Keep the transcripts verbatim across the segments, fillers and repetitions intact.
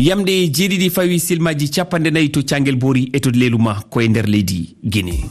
Yamɗe jeeɗiɗi fawi silmaaji cappanɗe nayi to Caangel Boori e to Leeluma ko e nder leydi Gine.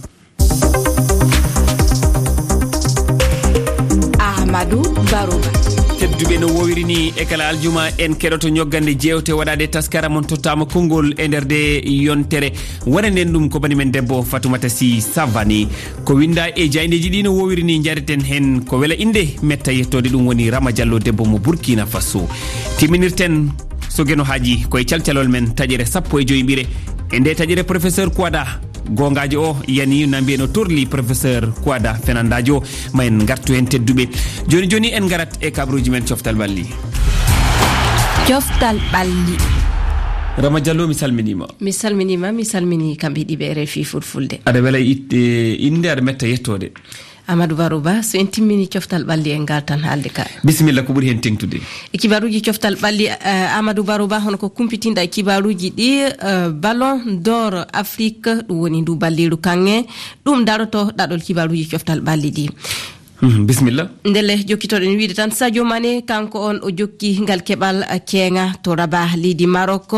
Amadou Barouba. Tedduɓe, no woowiri ni e kala aljuma en keɗoto ñoggande jeewte waɗaade taskara mon tottaama konngol e nder nde yontere. Waɗanen ɗum ko bani men debbo Fatoumata Sy Savani. Ko winnda e jaayndeeji ɗi no woowiri ni njareten heen ko wela innde metta yettoode, ɗum woni Rama Diallo debbo mo Burkina Faso. Timminirten so Geno haaji ko e calcalol men taƴere sappo e joy ɓire. E nde taƴere professeur Kouada goongaajo o yani na mbiye no torli professeur Kouada fenandaajo o. Ma en ngartu heen tedduɓe. Jooni jooni en ngarat e kabaruuji men coftal ɓalli. Coftal ɓalli. Rama Diallo, mi salminiima. Mi salminiima, mi salmini kamɓe ɗiɓe R F I Fulfulde. Aɗa wela itte innde, aɗa metta yettoode. Amadou Barouba, so en timmini coftal ɓalli en ngartan haalde ka. Bisimilla, ko ɓuri heen teŋtude? E kibaruuji coftal ɓalli, eh, Amadou Barouba, hono ko kumpitinɗa e kibaruuji ɗi, eh, Ballon d'Or Afrique, ɗum woni ndu balliiru kaŋŋe, ɗum daroto ɗaɗol kibaruuji coftal ɓalli ɗi. Mhm, bisimilla. Ndelle, jokkitoɗen wiide tan Sadio Mané, kanko on o jokki ngal keɓal, eh, keeŋa to Rabat, leydi Maroc.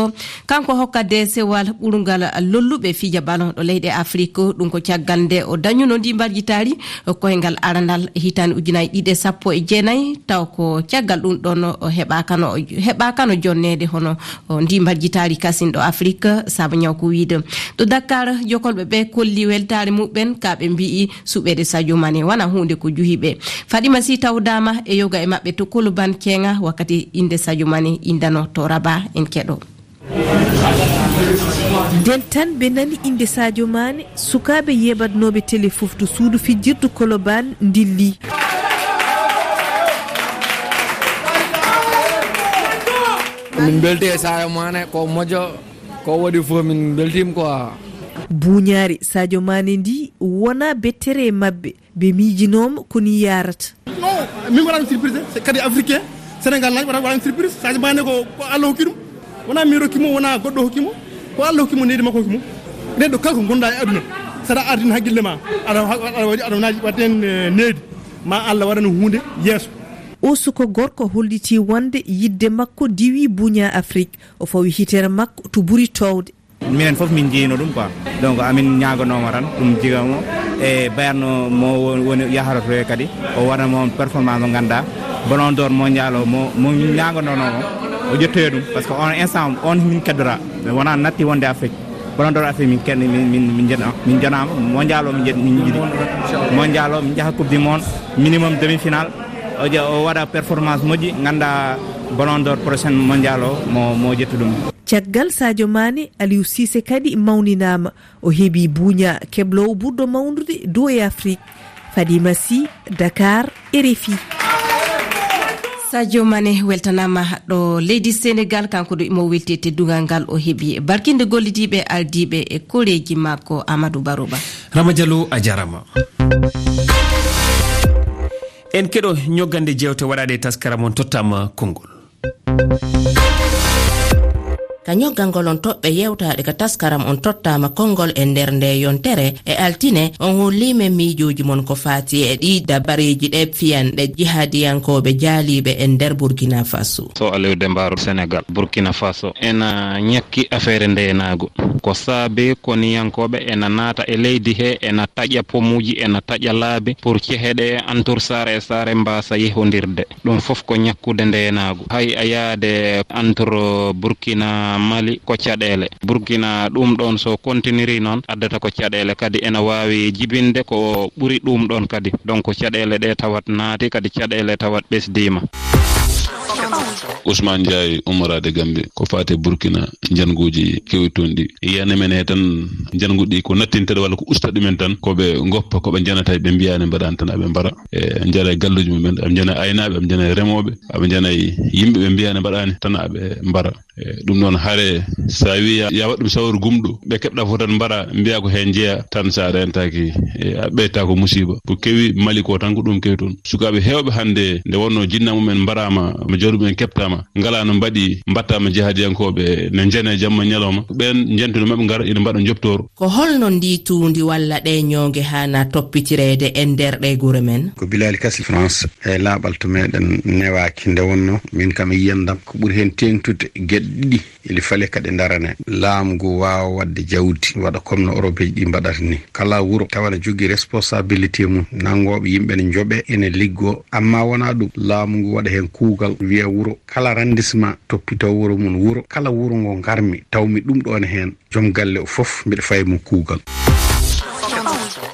Kanko hokka deesewal ɓurungal lolluɓe fija ballon ɗo leyɗe Afrik. Ɗum ko caggal nde o dañuno ndi mbarjitaari koyngal aranal hitaande ujunaaji ɗiɗi e sappo e jeenayi, taw ko caggal ɗum ɗon o heɓaakano, heɓaakano jonneede hono o ndi mbarjitaari kasin ɗo Afrik, sabu ñaw ko wiide. Ɗo Dakar, jokolɓe ɓe kolli weltaare muɓɓen, ka ɓe mbi'i suɓeede Sadio Mané wona huunde ko juhi ɓe. Fadima Sy tawdaama e yoga e maɓɓe to Koloban keeŋa wakkati innde Sadio Mané indano to Rabat, en keɗo. Nden tan ɓe nani innde Sadio Mané, sukaaɓe yeeɓatnooɓe tele fof to suudu fijirdu Koloban ndilli. Min mbelti e Sadio Mané, ko moƴƴo, ko waɗi fof min mbeltiima quoi. Buuñaari Sadio Mané ndi wona bettere e maɓɓe. Ɓe miijinooma ko ni yaarata. Non, min waɗaani surprise, c'est kadi africain, Sénégal naani waɗa-, waɗaani surprise, Sadio Mané ko, ko Allah hokki ɗum. Wonaa min rokki mo, wonaa goɗɗo hokki mo, ko Allah hokki mo, nehdi makko hokki mo. Neɗɗo kala ko ngonɗaa e aduna, so aɗa ardini hakkille ma, aɗa, aɗa, aɗa, aɗa naaji waɗde heen, eh, nehdi, ma Allah waɗan huunde yeeso. O suka gorko hollitii wonde yiɗde makko diwii buuña Afrik, o fawi hitere makko to ɓuri toowde. Minen fof min njiyino ɗum quoi. Donc amin ñaaganooma tan ɗum jigamo e Bayern mo won-, woni yahata to kadi o waɗa mo performance mo ngannduɗaa Ballon d'Or mondial o mo, mo min ñaaganoonooma o ƴettoya ɗum, parce que on instant on min keddora, mais wonaa natti wonde Afrique. Ballon d'Or Afrique min ken-, min, min, min jena-, min jonaama mondial o min jet-, min jiɗi mondial o min njaha coupe du monde minimum demi-finale. O je-, o waɗa performance moƴƴi, ngannduɗaa Ballon d'Or prochaine mondial o mo, mo ƴettu ɗum. Caggal Sadio Mané, Aliou Cissé kadi mawninaama. O heɓi buuña kebloowo ɓurɗo mawnude dow e Afrik. Fadima Sy, Dakar, R F I. Sadio Mané weltanaama ɗo leydi Senegal, kanko ɗo imo welti e teddungal ngal o heɓi barkinde gollidiiɓe ardiiɓe e koreeji makko. Amadou Barouba. Rama Diallo, a jaaraama. En keɗo ñoggande jeewte waɗaade e taskara mon tottaama konngol. Ka ñoggangol on toɓɓe yewtaaɗe ka taskaram on tottaama konngol e nder nde yontere e altine, on holliima miijooji mon ko faati e ɗii dabareeji ɗe fiyanɗe jihadiyankooɓe jaaliiɓe e nder Burkina Faso. So Aliou Demba Senegal, Burkina Faso ena ñakki afeere ndeenaagu. Ko saabe koniyankooɓe ena naata e leydi he, ena taƴa pomuuji, ena taƴa laabi pour cehe ɗe entre saare e saare mbaasa yehondirde. Ɗum fof ko ñakkude ndeenaagu. Hay a yaade entre Burkina, Mali ko caɗeele. Burkina ɗum ɗoon so continuiri noon addata ko caɗeele, kadi ena waawi jibinde ko ɓuri ɗum ɗoon kadi. Donc caɗeele ɗe tawat naati, kadi caɗeele tawat ɓesdiima. Ousmane Ndiaye, ummoraade Gambie, ko faati e Burkina, njannguuji kewi toon ɗi. Yiyande men he tan, njanngu ɗi ko nattinta ɗi walla ko usta ɗumen tan, ko ɓe ngoppa, ko ɓe njanata, ɓe mbiyaani mbaɗaani tan aɓe mbara. E, njara e galluuji mumen, aɓe njana e aynaaɓe, aɓe njana e remooɓe, aɓe njana e yimɓe ɓe mbiyaani mbaɗaani tan aɓe mbara. E, ɗum noon hare, so a wii ya, ya waɗ ɗum sawru gumɗo, ɓe keɓɗa fof tan mbara, mbiya ko heen njeya, tan so a rentaaki, e, a ɓeytaako musiiba. Ko kewi Mali ko tan ko ɗum kewi toon. Sukaaɓe heewɓe hannde nde wonnoo jinna mumen mbaraama, mo jawdi mumen keɓtaama, ngalaa no mbaɗi, mbaɗtaama jihadiyankooɓe ne njana e jamma ñalawma. Ɓeen njentuno maɓɓe ngara ina mbaɗa njobtoor. Ko holno ndii tuundi walla ɗee ñoonge haana toppitireede e nder ɗee gure men? Ko Bilali Kasi France, e laaɓal to meɗen newaaki nde wonnoo, min kam e yiyandam, ko ɓuri heen teeŋtude geɗe ɗiɗi. Ili fale kadi darane laamu ngu waawa waɗde jawdi, waɗa comme no Europeeji ɗi mbaɗata ni. Kala wuro tawa ne jogii responsabilité mum, nanngooɓe yimɓe ne njoɓe, ene liggo. Amma wonaa ɗum, laamu ngu waɗa heen kuugal, wiya wuro kala arrondissement toppitoo wuro mum, wuro kala wuro ngo ngarmi, tawmi ɗum ɗoon heen, joom galle o fof mbiɗa fayi mum kuugal.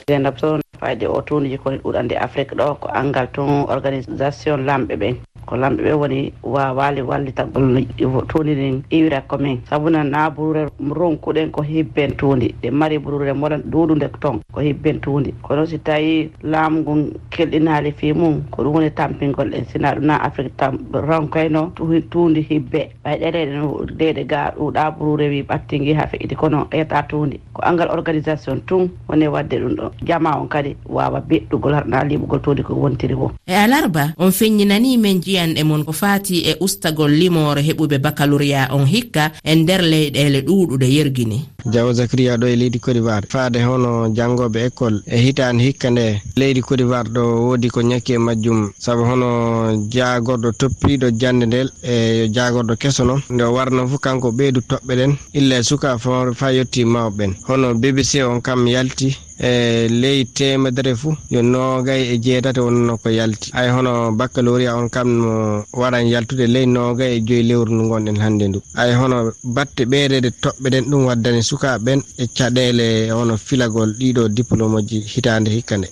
Zeynab Sow, fayde o tuuniji koni ɗuɗande Afrique ɗo, ko angal tun organisation lamɓe ɓen. Ko lamɓe ɓe woni waawaali wallitagol no tuundi ndin iwira ko min. Sabu na, na burure ronkuɗen ko hibben tuundi. Ɗe mari burure moɗon ɗuuɗunde ton ko hibben tuundi. Kono si tawi laamu ngun kelɗinaali fii mum, ko ɗum woni tampingol en. Sina ɗum na Afrique tam ronkoyno tu-, tuundi hibbe. Ɓay ɗeɗe ɗen, ɗeɗe ga ɗuuɗa burure wi ɓattingi ha feƴƴiti, kono ƴetta tuundi. Ko angal organisation tun woni wadde ɗum ɗo. Jama on kadi waawa beɗɗugol harɗa liɓugol tuundi ko wontiri wo. E alarba, on feññinanii men jiyanɗe mon ko faati e ustagol limoore heɓuɓe bakalooriyaa on hikka e nder leyɗeele ɗuuɗuɗe yergini. Jawo Zakariya ɗo e leydi Côte d'Ivoire. Faade hono janngooɓe école e hitaande hikka nde, leydi Côte d'Ivoire ɗo woodi ko ñakki e majjum. Sabu hono jaagorɗo toppiiɗo jannde ndel e yo jaagorɗo keso noon, nde o warno fof kanko ɓeydu toɓɓe ɗen, illa e suka fo faa yotti mawɓe ɓen. Hono B B C on kam yalti e ley teemedere fof, yo noogay e jeetati wonno ko yalti. Ay hono baccalauréat on kam no waran yaltude ley noogay e joyi lewru ndu ngonɗen hannde ndu. Ay hono batte ɓeydeede toɓɓe ɗen, ɗum waddani sukaaɓe ɓen e caɗeele hono filagol ɗiɗo diplôme ji hitaande hikka nde.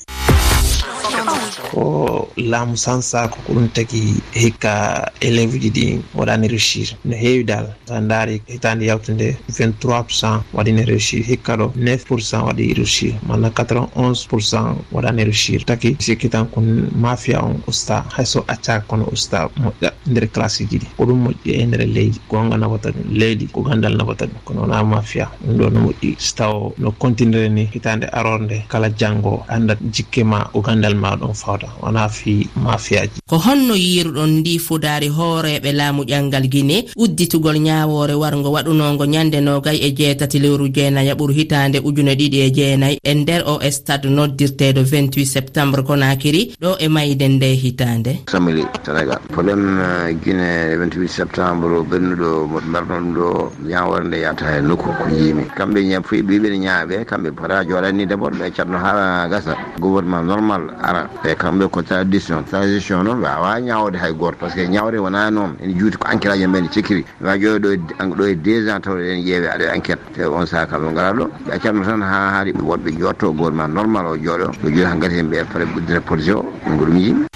Ko laamu sansa ko ko ɗum tagi hikka élève ji ɗi waɗani réussir no heewi dal. Sa ndaari hitaande yawtunde vingt-trois pour cent waɗi ne réussir, hikka ɗo neuf pour cent waɗi réussir, mana quatre-vingt-onze pour cent waɗani réussir. Taki sikki tan ko mafia on usta, hay so accaaka kono usta moƴƴa nder classe ji ɗi. Ko ɗum moƴƴi e nder leydi, goonga nafata ɗum, leydi ko gandal nafata ɗum, kono wona mafia. Ɗum ɗo no moƴƴi, so taw no continue ni hitaande aroore nde, kala janngo anndat jikke ma ko gandal ma ɗon fawta, wona fii mafiaji. Ko honno yiiruɗon ndi fudaari hooreeɓe laamu ƴanngal Gine udditugol ñaawoore warngo waɗunoongo ñande noogay e jeetati lewru jeenayaɓuru hitaande ujune ɗiɗi e jeenay e nder o stade noddirteeɗo vingt-huit septembre Conakry ɗo e mayde nde hitaande? Samili Sénégal. Problème, euh, Guinée vingt-huit septembre ɓennuɗo mo mbarno ɗum ɗo, ñaawoore nde yata e nokku ko jiimi. Kamɓe ña-, fuy ɓiɓe ne ñaaɓe, kamɓe pota jooɗani d'abord, ɓe catno haa gasa. Gouvernement normal ara. E kamɓe ko tradition, tradition noon, ɓe waawa ñaawde hay gooto, parce que ñaawde wonaa noon, ene juuti ko enquête aji men cikkiri. Ɓe waawa jooɗo ɗo e, ɗo e deux ans taw eɗen ƴeewe aɗa enquête. Te on saha kamɓe ngara ɗo, ɓe accanno tan haa haari woɗɓe jooɗto, gouvernement normal o jooɗo, ɓe jooɗi hankadi heen ɓe pare uddita projet o, ɗum ko ɗum yimɓe.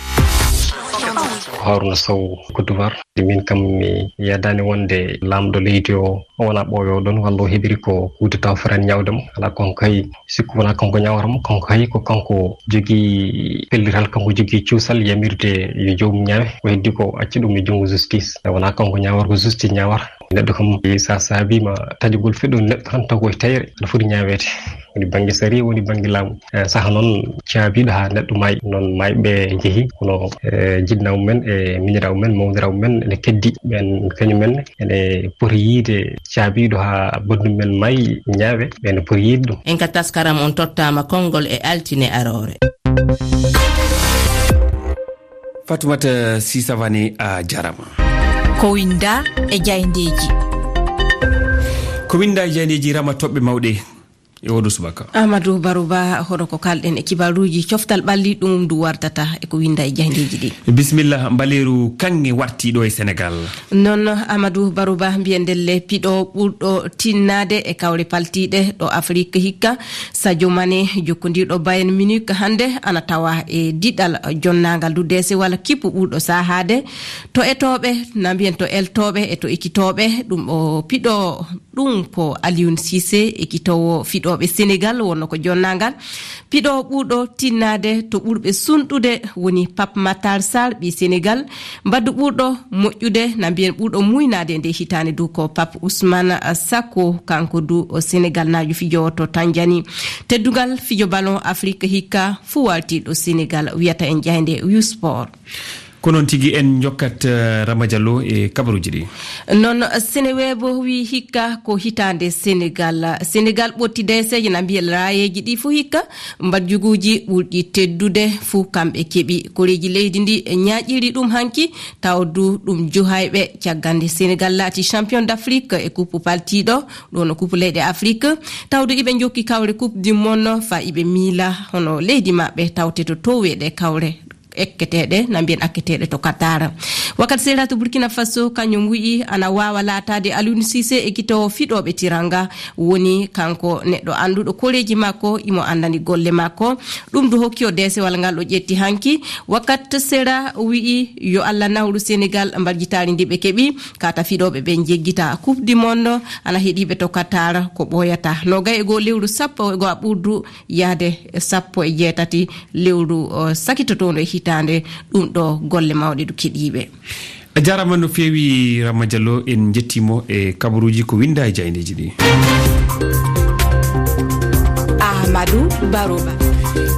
Haruna Sow, Côte d'Ivoire. Min kam mi yadani wonde laamɗo leydi o, o wona ɓooyo ɗon, walla o heɓiri ko coup d'État o fotani ñaawde mo. Alaa, kon kay sikku wona kanko ñaawata mo, kanko hay ko kanko jogii pellital, kanko jogii cuusal yamirde yo joomum ñaawe. Ko heddi ko acca ɗum e junngo justice. Wona kanko ñaawata, ko justice ñaawata. Neɗɗo kam, sa saabiima taƴugol feɗɗo neɗɗo tan taw ko e tayre, aɗa foti ñaaweede. Woni bannge sariya, woni bannge laamu. Eh, saha noon caabiiɗo haa neɗɗo maayi. Noon maayɓe njehi, kono, eh, jinnaaɓe men e miñiraaɓe men, mawniraaɓe men ene keddi. Ɓeen kañum en ene poti yiide caabiiɗo haa banndum men maayi ñaawe, ɓeen ene poti yiide ɗum. En ka taskaram on tottaama konngol e altine aroore. Fatumata Sisavani, a jarama. Ko winda e jayndeeji. Ko winda e jayndeeji, Rama, toɓɓe mawɗe e oɗo subaka. Amadou Barouba, hono ko kalɗen e kibaruuji, coftal ɓalli ɗum ndu wartata e ko winda e jayndeeji ɗi. Bisimilla, mbaleeru kaŋŋe warti ɗo e Senegal. Noon, Amadou Barouba, mbiyen ndelle piɗo ɓurɗo tinnaade e kawle paltiiɗe ɗo Afrik hikka, Sadio Mané, jokkondirɗo Bayern Munich hannde, ana tawa e diɗal jonnaangal du deese walla kippu ɓurɗo saahaade. To etooɓe, na mbiyen to eltooɓe e to ekitooɓe, ɗum o piɗo, ɗum ko Aliou Cissé, ekitoowo fiɗooɓe Senegal, wonno ko jonnaangal. Piɗo ɓurɗo tinnaade to ɓurɓe sunɗude woni Pape Matar Sarr, ɓii Senegal. Mbaddu ɓurɗo moƴƴude, na mbiyen ɓurɗo muynaade nde hitaande du ko Pape Ousmane Sako, kanko du o Senegal naajo fijoowo to Tanjani. Teddungal fijo ballon Afrique hikka fuu warti ɗo Senegal, wiyata en jaynde U Sport. Ko noon tigi, en njokkat, eh, Rama Diallo e kabaruuji ɗi. Noon, Seneweb wi hikka ko hitaande Senegal. Senegal ɓotti deeseeje na mbiya laayeeji ɗi fof hikka, mbadjuguuji ɓurɗi teddude fof kamɓe keɓi. Koreeji leydi ndi ñaaƴiri ɗum hanki, tawa du ɗum juhayɓe. Caggal nde Senegal laati champion d'Afrique e coupe paltiiɗo, ɗo no coupe leyɗe Afrique, tawde iɓe njokki kawre coupe du monde, fa iɓe miila hono leydi maɓɓe tawte to towe ɗe kawre ekketeeɗe, na mbiyen akketeeɗe to Qatar. Wakat Sera to Burkina Faso, kañum wi'i ana waawa laataade Aliou Cissé e kito fiɗooɓe tiranga, woni kanko neɗɗo annduɗo koreeji makko, imo anndani golle makko. Ɗum du hokki o deesewal ngal o ƴetti hanki. Wakat Sera wi'i yo Allah nawru Senegal mbarjitaari ndi ɓe keɓi, kata fiɗooɓe ɓe njeggita Coupe du Monde, ana heɗiiɓe to Qatar ko ɓooyata. Nogay e goo lewru sappo e goo a ɓurdu yahde e sappo e jeetati lewru, o, sakitotoondo e hitaande, ɗum ɗo golle mawɗe du keɗiiɓe. A jaaraama no feewi, Rama Diallo, en njettii mo e kabaruuji ko winnda e jaayndeeji ɗi. Amadou Baroba.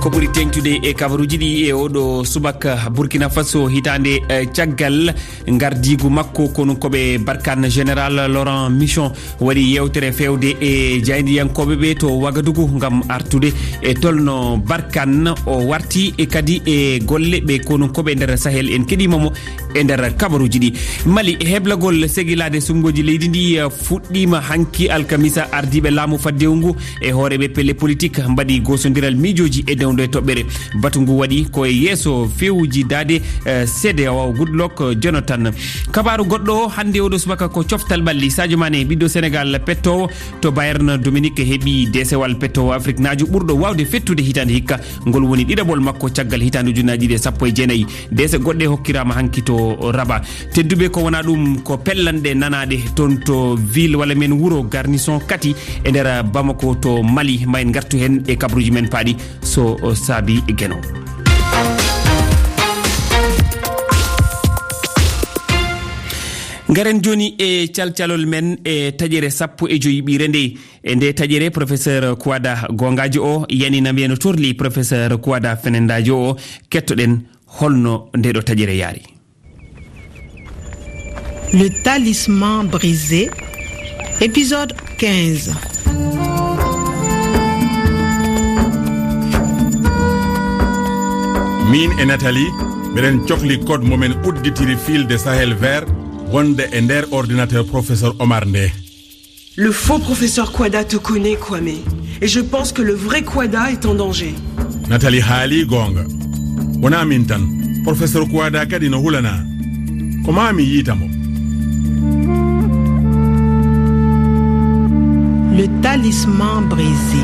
Ko ɓuri teeŋtude e kabaruuji ɗi e oɗo subaka, Burkina Faso, hitaande, eh, caggal ngardiigu makko, kono ko ɓe Barkhane Général Laurent Mission waɗi yeewtere feewde e jaayndiyankooɓe ɓe to Wagadugu ngam artude e tolno Barkhane o warti e kadi e golle ɓe kono ko ɓe nder Sahel. En keɗiima mo e nder kabaruuji ɗi. Mali, heblagol segilaade suɓngooji leydi ndi, eh, fuɗɗiima hanki alkamisa. Ardiiɓe laamu faddewu ngu e hooreeɓe pelle politik mbaɗi goosondiral miijooji e dewndo e toɓɓere. Batu ngu waɗi ko e yeeso fewuji daade, eh, C D A O Goodluck Jonathan. Kabaaru goɗɗo o hannde oɗo subaka ko coftal ɓalli. Sadio Mané, ɓiɗɗo Senegal pettoowo to Bayern Dominique, heɓi deesewal pettoowo Afriknaajo ɓurɗo waawde fettude hitaande hikka. Ngol woni ɗiɗaɓol makko caggal hitaande ujunnaaji ɗiɗi e sappo e jeenayi. Deese goɗɗe hokkiraama hanki to Rabat. Tedduɓe, ko wonaa ɗum ko pellanɗe nanaaɗe toon to ville walla men wuro Garnison Kati e nder Bamako to Mali. Ma en ngartu heen e kabaruuji men paaɗi so saabi Geno. Ngaren jooni e calcalol men e taƴere sappo e joyi ɓiire nde. E nde taƴere, Professeur Kouada goongaajo o yani na mbiya no torli Professeur Kouada fenendaajo o. Kettoɗen holno nde ɗo taƴere yaari. Le talisman brisé, épisode quinze. Miin e Nathalie, miɗen cokli code mo men udditiri fil de Sahel vert wonde e nder ordinateur Professeur Omar nde. Le faux professeur Kouada te connaît, Kwame. Et je pense que le vrai Kouada est en danger. Nathalie haali goonga. Wonaa miin tan. Professeur Kouada kadi no hulanaa. Ko maa mi yiita mo. Le talisman brisé.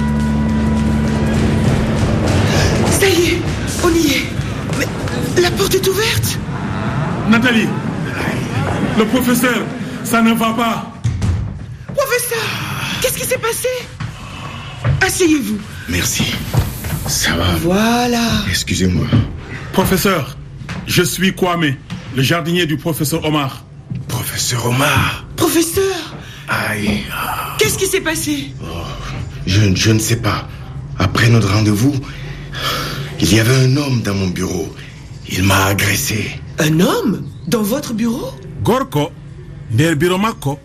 Ça y est, on y est. Mais la porte est ouverte. Nathalie, le professeur, ça ne va pas. Professeur, qu'est-ce qui s'est passé ? Asseyez-vous. Merci. Ça va. Voilà. Excusez-moi. Professeur, je suis Kwame, le jardinier du professeur Omar. Professeur Omar. Professeur. Aïe. Qu'est-ce qui s'est passé ? Oh, je, je ne sais pas. Après notre rendez-vous, il y avait un homme dans mon bureau. Il m'a agressé. Un homme dans votre bureau ? Gorko nder biro makko.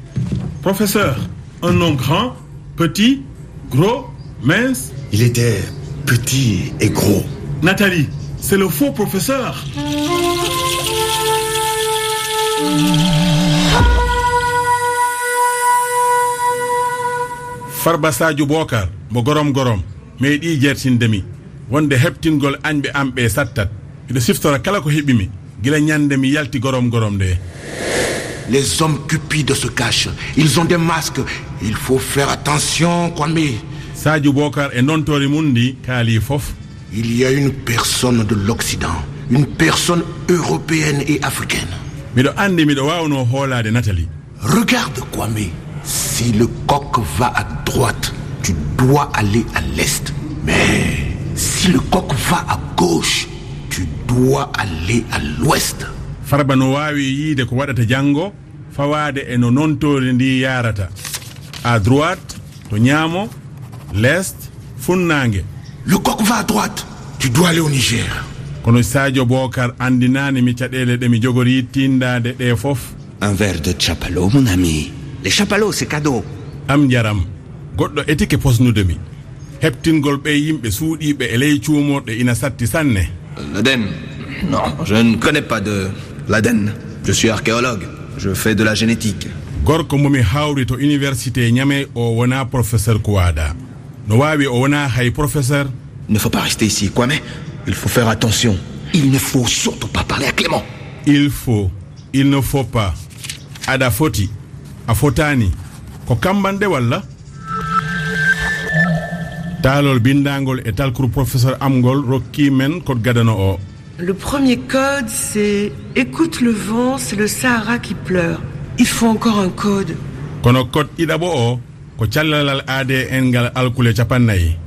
Professeur, un homme grand, petit, gros, mince. Il était petit et gros. Nathalie, c'est le faux professeur. Farba Sadio Bokar, mo gorom gorom, meeɗi jertinde mi wonde heɓtingol añɓe am ɓe sattat. Miɗo siftora kala ko heɓi mi gila ñande mi yalti gorom gorom nde. Les hommes cupides se cachent. Ils ont des masques. Il faut faire attention, Kwame. Sadio Bokar e ndontoori mum ndi kaali fof. Il y a une personne de l'Occident, une personne européenne et africaine. Miɗo anndi miɗo waawnoo hoolaade Nathalie. Regarde, Kwame, si le coq va à droite, tu dois aller à l'est. Mais si le coq va à gauche, tu dois aller à l'ouest. Farba no waawi yiide ko waɗata janngo, fawaade e no nontoori ndi yaarata. À droite, to ñaamo, l'est, funnaange. Le coq va à droite, tu dois aller au Niger. Kono Sadio Bokar anndinaani mi caɗeele ɗe mi jogori tiindaade ɗe fof. Un verre de Chapalo, mon ami. Le Chapalo, c'est cadeau. Am njaram, goɗɗo etike posnude mi. Heɓtingol ɓe yimɓe suuɗiiɓe e ley cuumorɗe ina satti sanne. L'Aden. Non, je ne connais pas de l'Aden. Je suis archéologue. Je fais de la génétique. Gorko mo mi hawri to université Niamey o wonaa professeur Kouada. No waawi o wonaa hay professeur. Il ne faut pas rester ici, Kwame. Il faut faire attention. Il ne faut surtout pas parler à Clément. Il faut, il ne faut pas. Aɗa foti, a fotaani. Ko kambanɗe walla? Taalol binndaangol e talkuru professeur am ngol rokki men code gadano o. Le premier code, c'est écoute le vent, c'est le Sahara qui pleure. Il faut encore un code. Kono code ɗiɗaɓo o, ko callalal A D N ngal alkule capannayyi.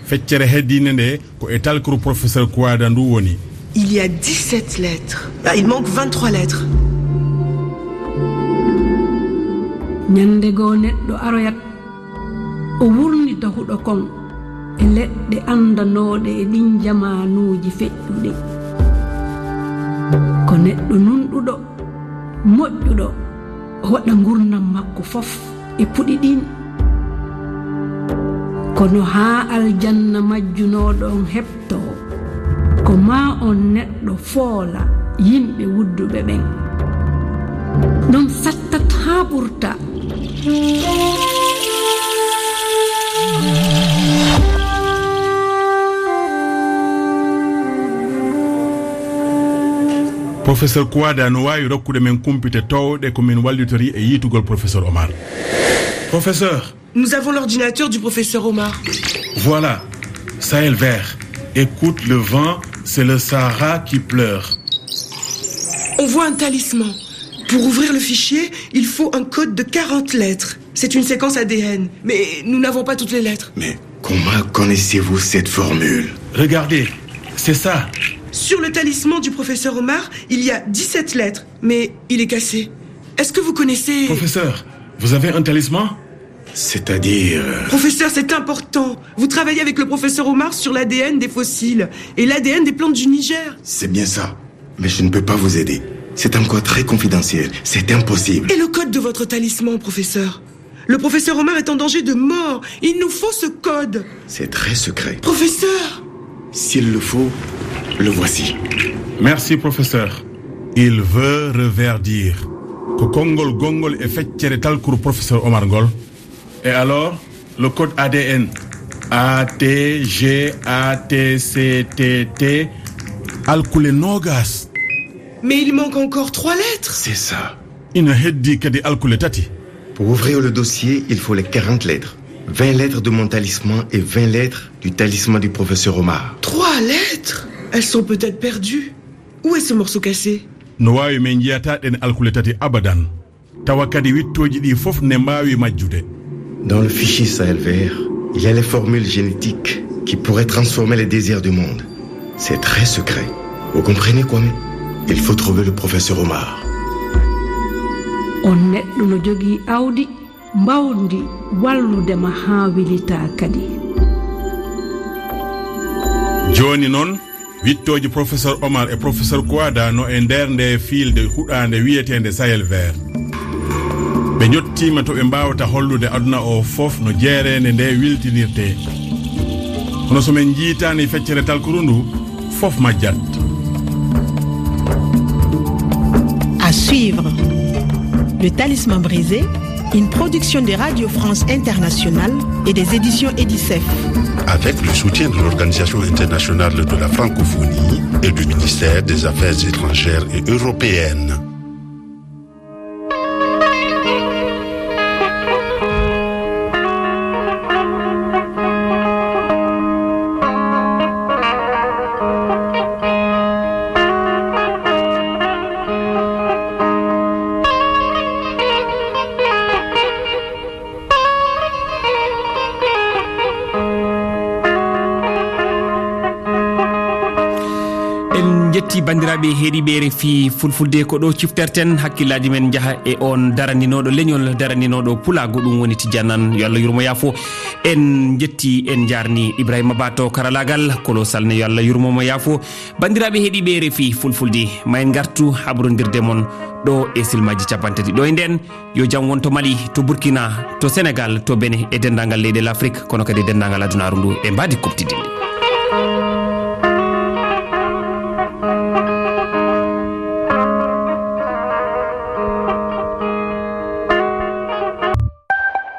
Feccere heddiinde nde ko e talkuru professeur Kouada ndu woni. Il y a dix-sept lettres. Ah, il manque vingt-trois lettres. Ñande goo neɗɗo aroyat, o wurnita huɗo kon e leɗɗe anndanooɗe e ɗin jamaanuuji feƴƴuɗi. Ko neɗɗo nunɗuɗo, moƴƴuɗo, o waɗa ngurndan makko fof e puɗi ɗin. Kono haa aljanna majjunooɗo on heɓtoo, ko maa on neɗɗo foola yimɓe wudduɓe ɓen. Ɗum sattat haa ɓurta. Professeur Kouada no waawi rokkude men kumpite toowɗe ko min wallitori e yiitugol professeur Omar. Professeur. Nous avons l'ordinateur du professeur Omar. Voilà, Sahel vert. Écoute le vent, c'est le Sahara qui pleure. On voit un talisman. Pour ouvrir le fichier, il faut un code de quarante lettres. C'est une séquence A D N, mais nous n'avons pas toutes les lettres. Mais comment connaissez-vous cette formule ? Regardez, c'est ça. Sur le talisman du professeur Omar, il y a dix-sept lettres, mais il est cassé. Est-ce que vous connaissez... Professeur, vous avez un talisman ? C'est-à-dire... Professeur, c'est important. Vous travaillez avec le professeur Omar sur l'A D N des fossiles et l'A D N des plantes du Niger. C'est bien ça. Mais je ne peux pas vous aider. C'est encore très confidentiel. C'est impossible. Et le code de votre talisman, professeur ? Le professeur Omar est en danger de mort. Il nous faut ce code. C'est très secret. Professeur ! S'il le faut, le voici. Merci, professeur. Il veut reverdir. Ko konngol gonngol e feccere talkuru professeur Omar ngol. Et alors, le code A D N. A T G A T C T T. Alkule noogas. Mais il manque encore trois lettres. C'est ça. Ina heddii kadi alkule tati. Pour ouvrir le dossier, il faut les quarante lettres. Vingt lettres de mon talisman et vingt lettres du talisman du professeur Omar. Trois lettres ? Elles sont peut-être perdues. Où est ce morceau cassé ? No waawi min njiyataa ɗeen alkule tati abadan. Tawa kadi wiɗtooji ɗii fof ne mbaawi majjude. Dans le fichier Sahel vert, il y a les formules génétiques qui pourraient transformer les désirs du monde. C'est très secret. Vous comprenez, Kwame ? Il faut trouver le professeur Omar. On neɗɗo no jogii awdi mbawndi wallude ma haa wilitaa kadi. Jooni noon, wiɗtooji professeur Omar e professeur Kouada no e nder nde fiilde huɗaande wiyeteende Sahel vert. Ɓe njottiima to ɓe mbaawata hollude aduna o fof no jeereende nde wiltinirtee. Kono so min njiytaani feccere talkuru ndu, fof majjat. À suivre. Le Talisman brisé, une production de Radio France Internationale et des éditions Edicef. Avec le soutien de l'Organisation internationale de la francophonie et du ministère des Affaires étrangères et européennes. En Ti banndiraaɓe heɗiiɓe R F I Fulfulde, ko ɗo cifterten hakkillaaji men njaha e on daraninooɗo leñol, daraninooɗo pulaagu, ɗum woni Tijjaan Aan, yo Allah yurmo yaafo. En njetti, en njaarni Ibrahima Ba to karalaagal, kolo salne, yo Allah yurmo mo yaafo. Banndiraaɓe heɗiiɓe R F I Fulfulde, ma en ngartu habrondirde mon ɗo e silmaaji capanɗe tati. Ɗo e nden, yo jam won to Mali, to Burkina, to Senegal, to Benin e denndaangal leyɗe l'Afrique, kono kadi e denndaangal adunaaru ndu e mbaadi kuɓtidinɗi.